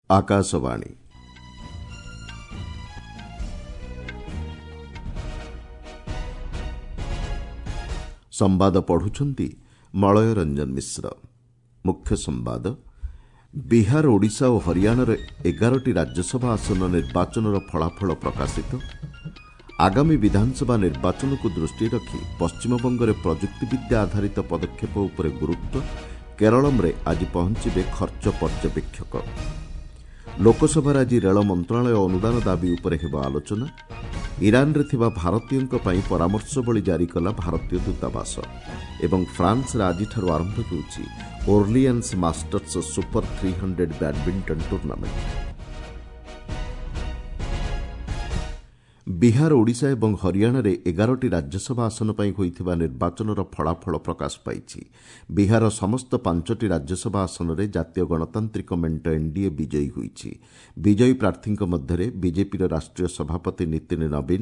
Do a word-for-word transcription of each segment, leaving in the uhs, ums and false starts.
ଆକାଶବାଣୀ ସମ୍ବାଦ ପଢୁଛନ୍ତି ମଳୟ ରଞ୍ଜନ ମିଶ୍ର। ମୁଖ୍ୟ ସମ୍ବାଦ। ବିହାର, ଓଡ଼ିଶା ଓ ହରିୟାଣାର ଏଗାରଟି ରାଜ୍ୟସଭା ଆସନ ନିର୍ବାଚନର ଫଳାଫଳ ପ୍ରକାଶିତ। ଆଗାମୀ ବିଧାନସଭା ନିର୍ବାଚନକୁ ଦୃଷ୍ଟିରେ ରଖି ପଶ୍ଚିମବଙ୍ଗରେ ପ୍ରଯୁକ୍ତିବିଦ୍ୟା ଆଧାରିତ ପଦକ୍ଷେପ ଉପରେ ଗୁରୁତ୍ୱ। କେରଳମରେ ଆଜି ପହଞ୍ଚିବେ ଖର୍ଚ୍ଚ ପର୍ଯ୍ୟବେକ୍ଷକ। ଲୋକସଭାରେ ଆଜି ରେଳ ମନ୍ତ୍ରଣାଳୟ ଅନୁଦାନ ଦାବି ଉପରେ ହେବ ଆଲୋଚନା। ଇରାନରେ ଥିବା ଭାରତୀୟଙ୍କ ପାଇଁ ପରାମର୍ଶବଳୀ ଜାରି କଲା ଭାରତୀୟ ଦୂତାବାସ। ଏବଂ ଫ୍ରାନ୍ସରେ ଆଜିଠାରୁ ଆରମ୍ଭ ହେଉଛି Orleans Masters Super three hundred badminton tournament. Bihar, Odisha ଏବଂ ହରିୟାଣାରେ ଏଗାରଟି ରାଜ୍ୟସଭା ଆସନ ପାଇଁ ହୋଇଥିବା ନିର୍ବାଚନର ଫଳାଫଳ ପ୍ରକାଶ ପାଇଛି। ବିହାରର ସମସ୍ତ ପାଞ୍ଚଟି ରାଜ୍ୟସଭା ଆସନରେ ଜାତୀୟ ଗଣତାନ୍ତ୍ରିକ ମେଣ୍ଟ ଏନ୍ଡିଏ ବିଜୟୀ ହୋଇଛି। ବିଜୟୀ ପ୍ରାର୍ଥୀଙ୍କ ମଧ୍ୟରେ ବିଜେପିର ରାଷ୍ଟ୍ରୀୟ ସଭାପତି ନୀତିନ ନବୀନ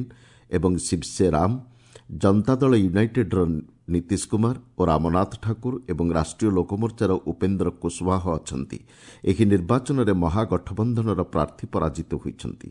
ଏବଂ ଶିବସେ ରାମ, ଜନତା ଦଳ ୟୁନାଇଟେଡ୍ର ନୀତିଶ କୁମାର ଓ ରାମନାଥ ଠାକୁର ଏବଂ ରାଷ୍ଟ୍ରୀୟ ଲୋକମୋର୍ଚ୍ଚାର ଉପେନ୍ଦ୍ର କୁଶୱାହ ଅଛନ୍ତି। ଏହି ନିର୍ବାଚନରେ ମହାଗଠବନ୍ଧନର ପ୍ରାର୍ଥୀ ପରାଜିତ ହୋଇଛନ୍ତି।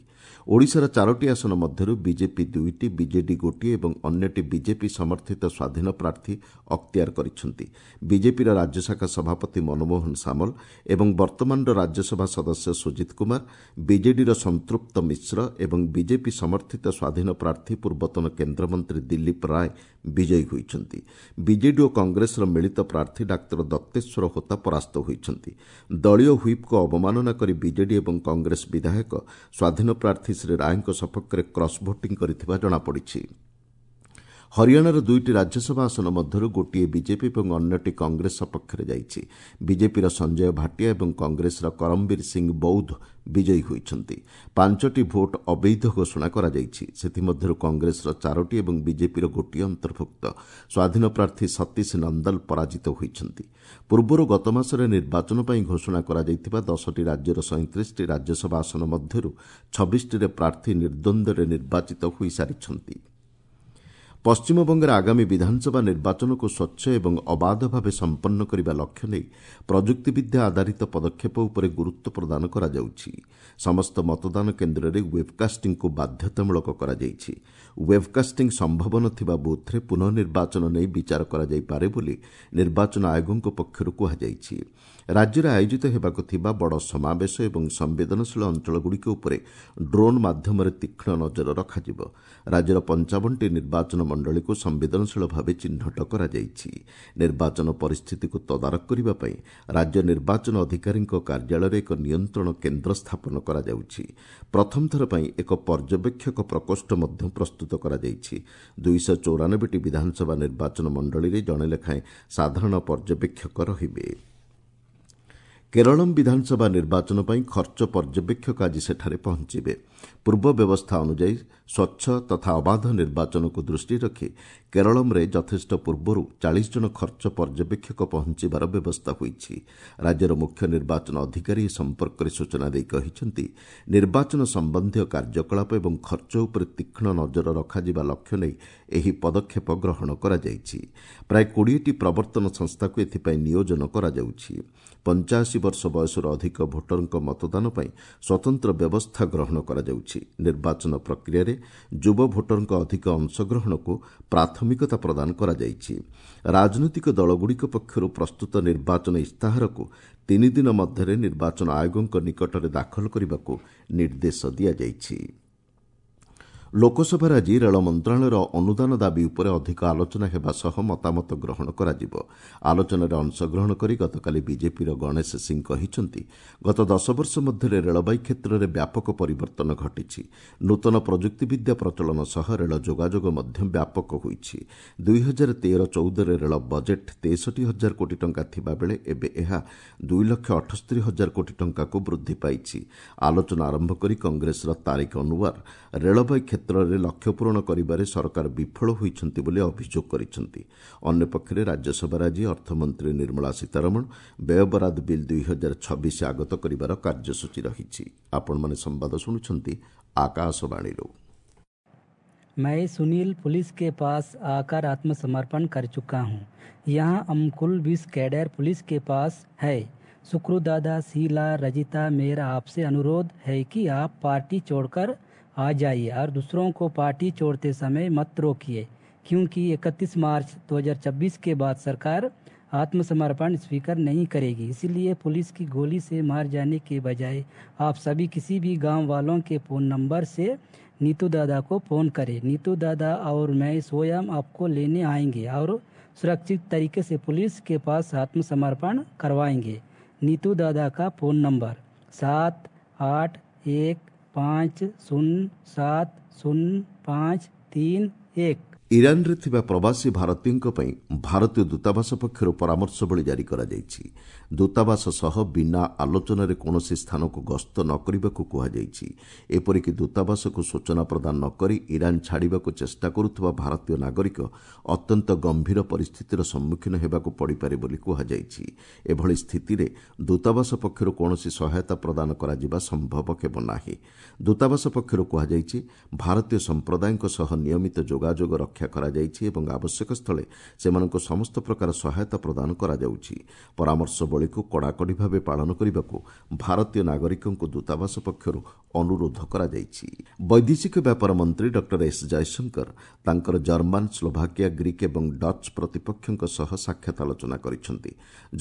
ଓଡ଼ିଶାର ଚାରୋଟି ଆସନ ମଧ୍ୟରୁ ବିଜେପି ଦୁଇଟି, ବିଜେଡି ଗୋଟିଏ ଏବଂ ଅନ୍ୟଟି ବିଜେପି ସମର୍ଥିତ ସ୍ୱାଧୀନ ପ୍ରାର୍ଥୀ ଅକ୍ତିଆର କରିଛନ୍ତି। ବିଜେପିର ରାଜ୍ୟଶାଖା ସଭାପତି ମନମୋହନ ସାମଲ ଏବଂ ବର୍ତ୍ତମାନର ରାଜ୍ୟସଭା ସଦସ୍ୟ ସୁଜିତ କୁମାର, ବିଜେଡିର ସଂତୃପ୍ତ ମିଶ୍ର ଏବଂ ବିଜେପି ସମର୍ଥିତ ସ୍ୱାଧୀନ ପ୍ରାର୍ଥୀ ପୂର୍ବତନ କେନ୍ଦ୍ରମନ୍ତ୍ରୀ ଦିଲ୍ଲୀପ ରାୟ ବିଜୟୀ ହୋଇଛନ୍ତି। ବିଜେଡି ଓ କଂଗ୍ରେସର ମିଳିତ ପ୍ରାର୍ଥୀ ଡାକ୍ତର ଦତ୍ତେଶ୍ୱର ହୋତା ପରାସ୍ତ ହୋଇଛନ୍ତି। ଦଳୀୟ ହ୍ୱିପ୍କୁ ଅବମାନନା କରି ବିଜେଡି ଏବଂ କଂଗ୍ରେସ ବିଧାୟକ ସ୍ୱାଧୀନ ପ୍ରାର୍ଥୀ ଶ୍ରୀ ରାୟଙ୍କ ସପକ୍ଷରେ କ୍ରସ୍ ଭୋଟିଂ କରିଥିବା ଜଣାପଡ଼ିଛି। ହରିୟାଣାର ଦୁଇଟି ରାଜ୍ୟସଭା ଆସନ ମଧ୍ୟରୁ ଗୋଟିଏ ବିଜେପି ଏବଂ ଅନ୍ୟଟି କଂଗ୍ରେସ ସପକ୍ଷରେ ଯାଇଛି। ବିଜେପିର ସଞ୍ଜୟ ଭାଟିଆ ଏବଂ କଂଗ୍ରେସର କରମବୀର ସିଂ ବୌଦ୍ଧ ବିଜୟୀ ହୋଇଛନ୍ତି। ପାଞ୍ଚଟି ଭୋଟ୍ ଅବୈଧ ଘୋଷଣା କରାଯାଇଛି। ସେଥିମଧ୍ୟରୁ କଂଗ୍ରେସର ଚାରୋଟି ଏବଂ ବିଜେପିର ଗୋଟିଏ ଅନ୍ତର୍ଭୁକ୍ତ। ସ୍ୱାଧୀନ ପ୍ରାର୍ଥୀ ସତୀଶ ନନ୍ଦଲ ପରାଜିତ ହୋଇଛନ୍ତି। ପୂର୍ବରୁ ଗତମାସରେ ନିର୍ବାଚନ ପାଇଁ ଘୋଷଣା କରାଯାଇଥିବା ଦଶଟି ରାଜ୍ୟର ସଇଁତିରିଶଟି ରାଜ୍ୟସଭା ଆସନ ମଧ୍ୟରୁ ଛବିଶଟିରେ ପ୍ରାର୍ଥୀ ନିର୍ଦ୍ୱନ୍ଦ୍ୱରେ ନିର୍ବାଚିତ ହୋଇସାରିଛନ୍ତି। ପଶ୍ଚିମବଙ୍ଗରେ ଆଗାମୀ ବିଧାନସଭା ନିର୍ବାଚନକୁ ସ୍ୱଚ୍ଛ ଏବଂ ଅବାଧ ଭାବେ ସମ୍ପନ୍ନ କରିବା ଲକ୍ଷ୍ୟ ନେଇ ପ୍ରଯୁକ୍ତିବିଦ୍ୟା ଆଧାରିତ ପଦକ୍ଷେପ ଉପରେ ଗୁରୁତ୍ୱ ପ୍ରଦାନ କରାଯାଉଛି। ସମସ୍ତ ମତଦାନ କେନ୍ଦ୍ରରେ ୱେବ୍କାଷ୍ଟିଂକୁ ବାଧ୍ୟତାମୂଳକ କରାଯାଇଛି। ୱେବ୍କାଷ୍ଟିଂ ସମ୍ଭବ ନଥିବା ବୁଥ୍ରେ ପୁନଃ ନିର୍ବାଚନ ନେଇ ବିଚାର କରାଯାଇପାରେ ବୋଲି ନିର୍ବାଚନ ଆୟୋଗଙ୍କ ପକ୍ଷରୁ କୁହାଯାଇଛି। ରାଜ୍ୟରେ ଆୟୋଜିତ ହେବାକୁ ଥିବା ବଡ଼ ସମାବେଶ ଏବଂ ସମ୍ବେଦନଶୀଳ ଅଞ୍ଚଳଗୁଡ଼ିକ ଉପରେ ଡ୍ରୋନ୍ ମାଧ୍ୟମରେ ତୀକ୍ଷ୍ଣ ନଜର ରଖାଯିବ। ରାଜ୍ୟର ପଞ୍ଚାବନଟି ନିର୍ବାଚନ ମଣ୍ଡଳୀକୁ ସମ୍ବେଦନଶୀଳ ଭାବେ ଚିହ୍ନଟ କରାଯାଇଛି। ନିର୍ବାଚନ ପରିସ୍ଥିତିକୁ ତଦାରଖ କରିବା ପାଇଁ ରାଜ୍ୟ ନିର୍ବାଚନ ଅଧିକାରୀଙ୍କ କାର୍ଯ୍ୟାଳୟରେ ଏକ ନିୟନ୍ତ୍ରଣ କେନ୍ଦ୍ର ସ୍ଥାପନ କରାଯାଉଛି। ପ୍ରଥମ ଥର ପାଇଁ ଏକ ପର୍ଯ୍ୟବେକ୍ଷକ ପ୍ରକୋଷ୍ଠ ମଧ୍ୟ ପ୍ରସ୍ତୁତ କରାଯାଇଛି। ଦୁଇଶହ ଚଉରାନବେଟି ବିଧାନସଭା ନିର୍ବାଚନ ମଣ୍ଡଳୀରେ ଜଣେ ଲେଖାଏଁ ସାଧାରଣ ପର୍ଯ୍ୟବେକ୍ଷକ ରହିବେ। କେରଳମ୍ ବିଧାନସଭା ନିର୍ବାଚନ ପାଇଁ ଖର୍ଚ୍ଚ ପର୍ଯ୍ୟବେକ୍ଷକ ଆଜି ସେଠାରେ ପହଞ୍ଚିବେ। ପୂର୍ବ ବ୍ୟବସ୍ଥା ଅନୁଯାୟୀ ସ୍ୱଚ୍ଛ ତଥା ଅବାଧ ନିର୍ବାଚନକୁ ଦୃଷ୍ଟିରେ ରଖି କେରଳମ୍ରେ ଯଥେଷ୍ଟ ପୂର୍ବରୁ ଚାଳିଶ ଜଣ ଖର୍ଚ୍ଚ ପର୍ଯ୍ୟବେକ୍ଷକ ପହଞ୍ଚିବାର ବ୍ୟବସ୍ଥା ହୋଇଛି। ରାଜ୍ୟର ମୁଖ୍ୟ ନିର୍ବାଚନ ଅଧିକାରୀ ଏ ସମ୍ପର୍କରେ ସୂଚନା ଦେଇ କହିଛନ୍ତି, ନିର୍ବାଚନ ସମ୍ବନ୍ଧୀୟ କାର୍ଯ୍ୟକଳାପ ଏବଂ ଖର୍ଚ୍ଚ ଉପରେ ତୀକ୍ଷ୍ଣ ନଜର ରଖାଯିବା ଲକ୍ଷ୍ୟ ନେଇ ଏହି ପଦକ୍ଷେପ ଗ୍ରହଣ କରାଯାଇଛି। ପ୍ରାୟ କୋଡ଼ିଏଟି ପ୍ରବର୍ତ୍ତନ ସଂସ୍ଥାକୁ ଏଥିପାଇଁ ନିୟୋଜନ କରାଯାଉଛି। ପଞ୍ଚାଅଶୀ ବର୍ଷ ବୟସରୁ ଅଧିକ ଭୋଟରଙ୍କ ମତଦାନ ପାଇଁ ସ୍ୱତନ୍ତ୍ର ବ୍ୟବସ୍ଥା ଗ୍ରହଣ କରାଯାଉଛି। ନିର୍ବାଚନ ପ୍ରକ୍ରିୟାରେ ଯୁବ ଭୋଟରଙ୍କ ଅଧିକ ଅଂଶଗ୍ରହଣକୁ ପ୍ରାଥମିକତା ପ୍ରଦାନ କରାଯାଇଛି। ରାଜନୈତିକ ଦଳଗୁଡ଼ିକ ପକ୍ଷରୁ ପ୍ରସ୍ତୁତ ନିର୍ବାଚନ ଇସ୍ତାହାରକୁ ତିନି ଦିନ ମଧ୍ୟରେ ନିର୍ବାଚନ ଆୟୋଗଙ୍କ ନିକଟରେ ଦାଖଲ କରିବାକୁ ନିର୍ଦ୍ଦେଶ ଦିଆଯାଇଛି। ଲୋକସଭାରେ ଆଜି ରେଳ ମନ୍ତ୍ରଣାଳୟର ଅନୁଦାନ ଦାବି ଉପରେ ଅଧିକ ଆଲୋଚନା ହେବା ସହ ମତାମତ ଗ୍ରହଣ କରାଯିବ। ଆଲୋଚନାରେ ଅଂଶଗ୍ରହଣ କରି ଗତକାଲି ବିଜେପିର ଗଣେଶ ସିଂ କହିଛନ୍ତି, ଗତ ଦଶ ବର୍ଷ ମଧ୍ୟରେ ରେଳବାଇ କ୍ଷେତ୍ରରେ ବ୍ୟାପକ ପରିବର୍ତ୍ତନ ଘଟିଛି। ନୂତନ ପ୍ରଯୁକ୍ତିବିଦ୍ୟା ପ୍ରଚଳନ ସହ ରେଳ ଯୋଗାଯୋଗ ମଧ୍ୟ ବ୍ୟାପକ ହୋଇଛି। ଦୁଇ ହଜାର ତେର ଚଉଦରେ ରେଳ ବଜେଟ୍ ତେଷଠି ହଜାର କୋଟି ଟଙ୍କା ଥିବାବେଳେ ଏବେ ଏହା ଦୁଇ ଲକ୍ଷ ଅଠସ୍ତରୀ ହଜାର କୋଟି ଟଙ୍କାକୁ ବୃଦ୍ଧି ପାଇଛି। ଆଲୋଚନା ଆରମ୍ଭ କରି କଂଗ୍ରେସର ତାରିକ ଅନୱାର ରେଳବାଇ କ୍ଷେତ୍ରରେ ଲକ୍ଷ୍ୟ ପୂରଣ କରିବାରେ ସରକାର ବିଫଳ ହୋଇଛନ୍ତି ବୋଲି ଅଭିଯୋଗ କରିଛନ୍ତି। ଅନ୍ୟପକ୍ଷରେ ରାଜ୍ୟସଭାରେ ଆଜି ଅର୍ଥମନ୍ତ୍ରୀ ନିର୍ମଳା ସୀତାରମଣ ବ୍ୟୟବରାଦ ବିଲ୍ ଦୁଇ ହଜାର ଛବିଶ ଆଗତ କରିବାର କାର୍ଯ୍ୟସୂଚୀ ରହିଛି। ଆପଣମାନେ ସମ୍ବାଦ ଶୁଣୁଛନ୍ତି ଆକାଶବାଣୀରୁ। मैं सुनील पुलिस के पास आकर आत्मसमर्पण कर चुका हूं। यहाँ हम कुल बीस कैडर पुलिस के पास है। सुक्रू दादा, शीला, रजिता, मेरा आपसे अनुरोध है कि आप पार्टी छोड़कर आ जाइए और दूसरों को पार्टी छोड़ते समय मत रोकिए, क्योंकि इकतीस मार्च दो हज़ार छब्बीस के बाद सरकार आत्मसमर्पण स्वीकार नहीं करेगी। इसलिए पुलिस की गोली से मार जाने के बजाय आप सभी किसी भी गांव वालों के फ़ोन नंबर से नीतू दादा को फ़ोन करें। नीतू दादा और मैं स्वयं आपको लेने आएंगे और सुरक्षित तरीके से पुलिस के पास आत्मसमर्पण करवाएंगे। नीतू दादा का फ़ोन नंबर सात आठ एक पाँच शून्य सात शून्य पाँच तीन एक। ଇରାନରେ ଥିବା ପ୍ରବାସୀ ଭାରତୀୟଙ୍କ ପାଇଁ ଭାରତୀୟ ଦୂତାବାସ ପକ୍ଷରୁ ପରାମର୍ଶବଳୀ ଜାରି କରାଯାଇଛି। ଦୂତାବାସ ସହ ବିନା ଆଲୋଚନାରେ କୌଣସି ସ୍ଥାନକୁ ଗସ୍ତ ନ କରିବାକୁ କୁହାଯାଇଛି। ଏପରିକି ଦୂତାବାସକୁ ସୂଚନା ପ୍ରଦାନ ନ କରି ଇରାନ ଛାଡ଼ିବାକୁ ଚେଷ୍ଟା କରୁଥିବା ଭାରତୀୟ ନାଗରିକ ଅତ୍ୟନ୍ତ ଗମ୍ଭୀର ପରିସ୍ଥିତିର ସମ୍ମୁଖୀନ ହେବାକୁ ପଡ଼ିପାରେ ବୋଲି କୁହାଯାଇଛି। ଏଭଳି ସ୍ଥିତିରେ ଦୂତାବାସ ପକ୍ଷରୁ କୌଣସି ସହାୟତା ପ୍ରଦାନ କରାଯିବା ସମ୍ଭବ ହେବ ନାହିଁ। ଦୂତାବାସ ପକ୍ଷରୁ କୁହାଯାଇଛି, ଭାରତୀୟ ସମ୍ପ୍ରଦାୟଙ୍କ ସହ ନିୟମିତ ଯୋଗାଯୋଗ ରକ୍ଷା କରାଯାଇଛି ଏବଂ ଆବଶ୍ୟକ ସ୍ଥଳେ ସେମାନଙ୍କୁ ସମସ୍ତ ପ୍ରକାର ସହାୟତା ପ୍ରଦାନ କରାଯାଉଛି। ପରାମର୍ଶବଳୀକୁ କଡ଼ାକଡ଼ି ଭାବେ ପାଳନ କରିବାକୁ ଭାରତୀୟ ନାଗରିକଙ୍କୁ ଦୂତାବାସ ପକ୍ଷରୁ ଅନୁରୋଧ କରାଯାଇଛି। ବୈଦେଶିକ ବ୍ୟାପାର ମନ୍ତ୍ରୀ ଡକ୍ଟର ଏସ୍ ଜୟଶଙ୍କର ତାଙ୍କର ଜର୍ମାନ, ସ୍ଲୋଭାକିଆ, ଗ୍ରୀକ୍ ଏବଂ ଡଚ୍ ପ୍ରତିପକ୍ଷଙ୍କ ସହ ସାକ୍ଷାତ ଆଲୋଚନା କରିଛନ୍ତି।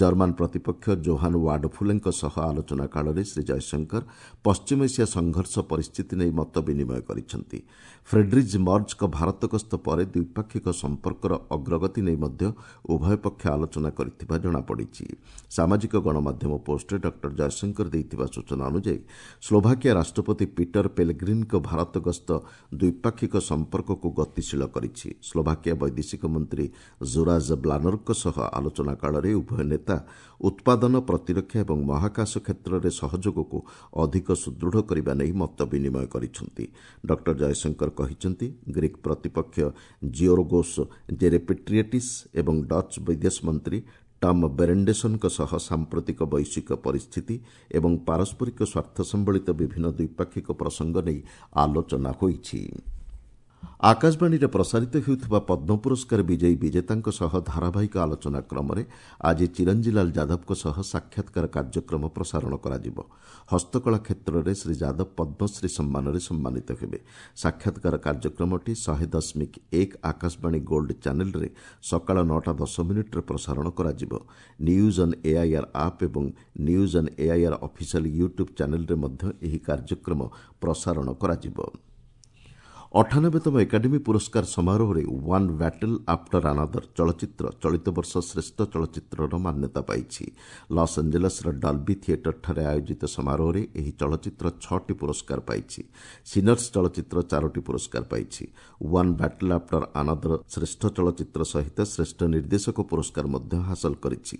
ଜର୍ମାନ ପ୍ରତିପକ୍ଷ ଜୋହାନ୍ ୱାଡଫୁଲେଙ୍କ ସହ ଆଲୋଚନା କାଳରେ ଶ୍ରୀ ଜୟଶଙ୍କର ପଶ୍ଚିମ ଏସିଆ ସଂଘର୍ଷ ପରିସ୍ଥିତି ନେଇ ମତ ବିନିମୟ କରିଛନ୍ତି। ଫ୍ରେଡ୍ରିଜ୍ ମର୍ଜଙ୍କ ଭାରତ ଗସ୍ତ ପରେ ଦ୍ୱିପାକ୍ଷିକ ସମ୍ପର୍କର ଅଗ୍ରଗତି ନେଇ ମଧ୍ୟ ଉଭୟ ପକ୍ଷ ଆଲୋଚନା କରିଥିବା ଜଣାପଡ଼ିଛି। ସାମାଜିକ ଗଣମାଧ୍ୟମ ପୋଷ୍ଟରେ ଡକ୍ଟର ଜୟଶଙ୍କର ଦେଇଥିବା ସୂଚନା ଅନୁଯାୟୀ ସ୍ଲୋଭାକିଆ ରାଷ୍ଟ୍ରପତି ପିଟର ପେଲେଗ୍ରିନ୍ଙ୍କ ଭାରତ ଗସ୍ତ ଦ୍ୱିପାକ୍ଷିକ ସମ୍ପର୍କକୁ ଗତିଶୀଳ କରିଛି। ସ୍ଲୋଭାକିଆ ବୈଦେଶିକ ମନ୍ତ୍ରୀ ଜୁରାଜ ବ୍ଲାନରଙ୍କ ସହ ଆଲୋଚନା କାଳରେ ଉଭୟ ନେତା ଉତ୍ପାଦନ, ପ୍ରତିରକ୍ଷା ଏବଂ ମହାକାଶ କ୍ଷେତ୍ରରେ ସହଯୋଗକୁ ଅଧିକ ସୁଦୃଢ଼ କରିବା ନେଇ ମତ ବିନିମୟ କରିଛନ୍ତି। ଡକ୍ଟର ଜୟଶଙ୍କର କହିଛନ୍ତି, ଗ୍ରୀକ୍ ପ୍ରତିପକ୍ଷ ଜିଓର୍ଗୋସ୍ ଜେରେପେଟ୍ରିଏଟିସ୍ ଏବଂ ଡଚ୍ ବିଦେଶ ମନ୍ତ୍ରୀ ଟମ୍ ବେରେଣ୍ଡେସନଙ୍କ ସହ ସାମ୍ପ୍ରତିକ ବୈଶ୍ୱିକ ପରିସ୍ଥିତି ଏବଂ ପାରସ୍ପରିକ ସ୍ୱାର୍ଥ ସମ୍ବଳିତ ବିଭିନ୍ନ ଦ୍ୱିପାକ୍ଷିକ ପ୍ରସଙ୍ଗ ନେଇ ଆଲୋଚନା ହୋଇଛି। ଆକାଶବାଣୀରେ ପ୍ରସାରିତ ହେଉଥିବା ପଦ୍ମ ପୁରସ୍କାର ବିଜୟୀ ବିଜେତାଙ୍କ ସହ ଧାରାବାହିକ ଆଲୋଚନା କ୍ରମରେ ଆଜି ଚିରଞ୍ଜୀଲାଲ ଯାଦବଙ୍କ ସହ ସାକ୍ଷାତକାର କାର୍ଯ୍ୟକ୍ରମ ପ୍ରସାରଣ କରାଯିବ। ହସ୍ତକଳା କ୍ଷେତ୍ରରେ ଶ୍ରୀ ଯାଦବ ପଦ୍ମଶ୍ରୀ ସମ୍ମାନରେ ସମ୍ମାନିତ ହେବେ। ସାକ୍ଷାତକାର କାର୍ଯ୍ୟକ୍ରମଟି ଶହେ ଦଶମିକ ଏକ ଆକାଶବାଣୀ ଗୋଲ୍ଡ ଚ୍ୟାନେଲରେ ସକାଳ ନଅଟା ଦଶ ମିନିଟ୍ରେ ପ୍ରସାରଣ କରାଯିବ। ନ୍ୟୁଜ୍ ଅନ୍ ଏଆଇଆର୍ ଆପ୍ ଏବଂ news on AIR official YouTube ଚ୍ୟାନେଲରେ ମଧ୍ୟ ଏହି କାର୍ଯ୍ୟକ୍ରମ ପ୍ରସାରଣ କରାଯିବ। ଅଠାନବେତମ ଏକାଡେମୀ ପୁରସ୍କାର ସମାରୋହରେ ୱାନ୍ ବ୍ୟାଟଲ୍ ଆଫ୍ଟର ଆନାଦର ଚଳଚ୍ଚିତ୍ର ଚଳିତ ବର୍ଷ ଶ୍ରେଷ୍ଠ ଚଳଚ୍ଚିତ୍ରର ମାନ୍ୟତା ପାଇଛି। ଲସ୍ ଆଞ୍ଜେଲସ୍ର ଡଲ୍ବି ଥିଏଟରଠାରେ ଆୟୋଜିତ ସମାରୋହରେ ଏହି ଚଳଚ୍ଚିତ୍ର ଛଅଟି ପୁରସ୍କାର ପାଇଛି। ସିନର୍ସ ଚଳଚ୍ଚିତ୍ର ଚାରୋଟି ପୁରସ୍କାର ପାଇଛି। ୱାନ୍ ବ୍ୟାଟଲ୍ ଆଫ୍ଟର ଆନାଦର ଶ୍ରେଷ୍ଠ ଚଳଚ୍ଚିତ୍ର ସହିତ ଶ୍ରେଷ୍ଠ ନିର୍ଦ୍ଦେଶକ ପୁରସ୍କାର ମଧ୍ୟ ହାସଲ କରିଛି।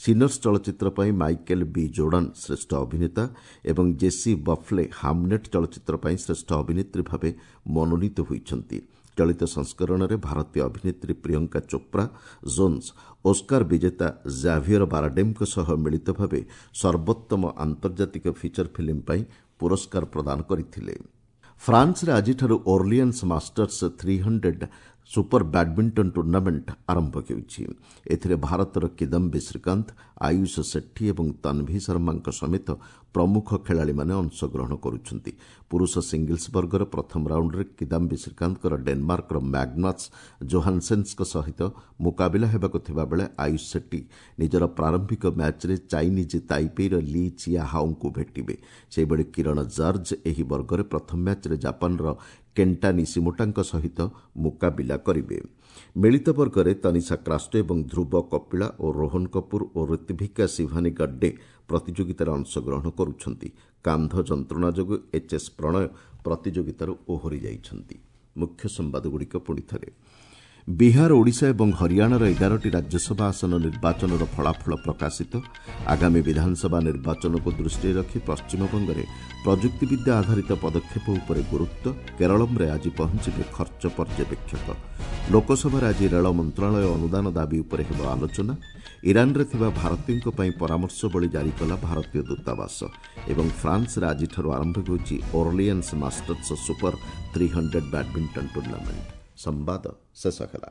ସିନର୍ସ ଚଳଚ୍ଚିତ୍ର ପାଇଁ ମାଇକେଲ ବି ଜୋର୍ଡାନ୍ ଶ୍ରେଷ୍ଠ ଅଭିନେତା ଏବଂ ଜେସି ବଫ୍ଲେ ହାମନେଟ୍ ଚଳଚ୍ଚିତ୍ର ପାଇଁ ଶ୍ରେଷ୍ଠ ଅଭିନେତ୍ରୀ ଭାବେ ମନୋନୀତ ହୋଇଛନ୍ତି। ଚଳିତ ସଂସ୍କରଣରେ ଭାରତୀୟ ଅଭିନେତ୍ରୀ ପ୍ରିୟଙ୍କା ଚୋପ୍ରା ଜୋନ୍ସ ଓସ୍କାର ବିଜେତା ଜାଭିୟର ବାରାଡେମ୍ଙ୍କ ସହ ମିଳିତ ଭାବେ ସର୍ବୋତ୍ତମ ଆନ୍ତର୍ଜାତିକ ଫିଚର ଫିଲ୍ମ ପାଇଁ ପୁରସ୍କାର ପ୍ରଦାନ କରିଥିଲେ। ଫ୍ରାନ୍ସରେ ଆଜିଠାରୁ Orleans Masters three hundred super badminton tournament ଆରମ୍ଭ ହେଉଛି। ଏଥିରେ ଭାରତର କିଦମ୍ବି ଶ୍ରୀକାନ୍ତ, ଆୟୁଷ ସେଠୀ ଏବଂ ତନ୍ଭି ଶର୍ମାଙ୍କ ସମେତ ପ୍ରମୁଖ ଖେଳାଳିମାନେ ଅଂଶଗ୍ରହଣ କରୁଛନ୍ତି। ପୁରୁଷ ସିଙ୍ଗଲ୍ସ ବର୍ଗର ପ୍ରଥମ ରାଉଣ୍ଡରେ କିଦାମ୍ବି ଶ୍ରୀକାନ୍ତଙ୍କର ଡେନମାର୍କର ମ୍ୟାଗ୍ନାସ୍ ଜୋହାନ୍ସେନ୍ଙ୍କ ସହିତ ମୁକାବିଲା ହେବାକୁ ଥିବାବେଳେ ଆୟୁଷ ସେଟ୍ଟୀ ନିଜର ପ୍ରାରମ୍ଭିକ ମ୍ୟାଚ୍ରେ ଚାଇନିଜ୍ ତାଇପେଇର ଲି ଚିଆ ହାଓଙ୍କୁ ଭେଟିବେ। ସେହିଭଳି କିରଣ ଜର୍ଜ ଏହି ବର୍ଗରେ ପ୍ରଥମ ମ୍ୟାଚ୍ରେ ଜାପାନର କେଣ୍ଟା ନିସିମୋଟାଙ୍କ ସହିତ ମୁକାବିଲା କରିବେ। ମିଳିତ ବର୍ଗରେ ତନିଷା କ୍ରାଷ୍ଟୋ ଏବଂ ଧ୍ରୁବ କପିଳା ଓ ରୋହନ କପୁର ଓ ଋତ୍ଭିକା ଶିଭାନୀ ଗଡ୍ଡେ ପ୍ରତିଯୋଗିତାରେ ଅଂଶଗ୍ରହଣ କରୁଛନ୍ତି। କାନ୍ଧ ଯନ୍ତ୍ରଣା ଯୋଗୁଁ ଏଚ୍ ଏସ୍ ପ୍ରଣୟ ପ୍ରତିଯୋଗିତାରୁ ଓହରି ଯାଇଛନ୍ତି। ମୁଖ୍ୟ ସମ୍ବାଦଗୁଡ଼ିକ ପୁଣିଥରେ। ବିହାର, ଓଡ଼ିଶା ଏବଂ ହରିୟାଣାର ଏଗାରଟି ରାଜ୍ୟସଭା ଆସନ ନିର୍ବାଚନର ଫଳାଫଳ ପ୍ରକାଶିତ। ଆଗାମୀ ବିଧାନସଭା ନିର୍ବାଚନକୁ ଦୃଷ୍ଟିରେ ରଖି ପଶ୍ଚିମବଙ୍ଗରେ ପ୍ରଯୁକ୍ତିବିଦ୍ୟା ଆଧାରିତ ପଦକ୍ଷେପ ଉପରେ ଗୁରୁତ୍ୱ। କେରଳମରେ ଆଜି ପହଞ୍ଚିବେ ଖର୍ଚ୍ଚ ପର୍ଯ୍ୟବେକ୍ଷକ। ଲୋକସଭାରେ ଆଜି ରେଳ ମନ୍ତ୍ରଣାଳୟ ଅନୁଦାନ ଦାବି ଉପରେ ହେବ ଆଲୋଚନା। ଇରାନରେ ଥିବା ଭାରତୀୟଙ୍କ ପାଇଁ ପରାମର୍ଶବଳୀ ଜାରି କଲା ଭାରତୀୟ ଦୂତାବାସ। ଏବଂ ଫ୍ରାନ୍ସରେ ଆଜିଠାରୁ ଆରମ୍ଭ ହେଉଛି Orleans Masters super three hundred badminton tournament. ସମ୍ବାଦ ଶେଷ ହେଲା।